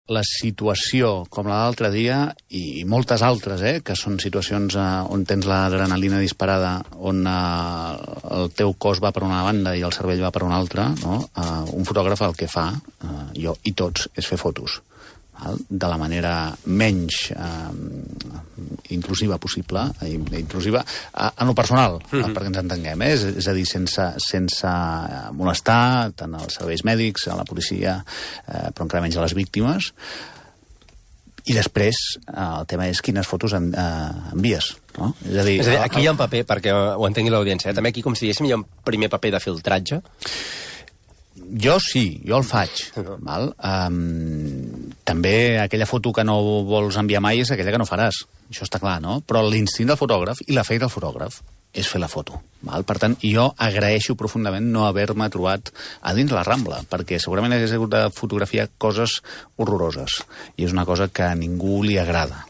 la situació com la d'altre dia, i moltes altres, que són situacions on tens l'adrenalina disparada, on el teu cos va per una banda i el cervell va per una altra, no? Un fotògraf el que fa, jo i tots, és fer fotos de la manera menys intrusiva possible, intrusiva en lo personal, perquè ens entenguem, és a dir, sense molestar tant als serveis mèdics, a la policia, però encara menys a les víctimes. I després el tema és quines fotos envies, no? És a dir, aquí hi ha un paper, perquè ho entengui l'audiència, també aquí, com si diguéssim, hi ha un primer paper de filtratge. Jo sí, jo el faig. Val? També aquella foto que no vols enviar mai és aquella que no faràs. Això està clar, no? Però l'instint del fotògraf i la feina del fotògraf és fer la foto. Val? Per tant, jo agraeixo profundament no haver-me trobat a dins la Rambla, perquè segurament hagués hagut de fotografiar coses horroroses. I és una cosa que a ningú li agrada.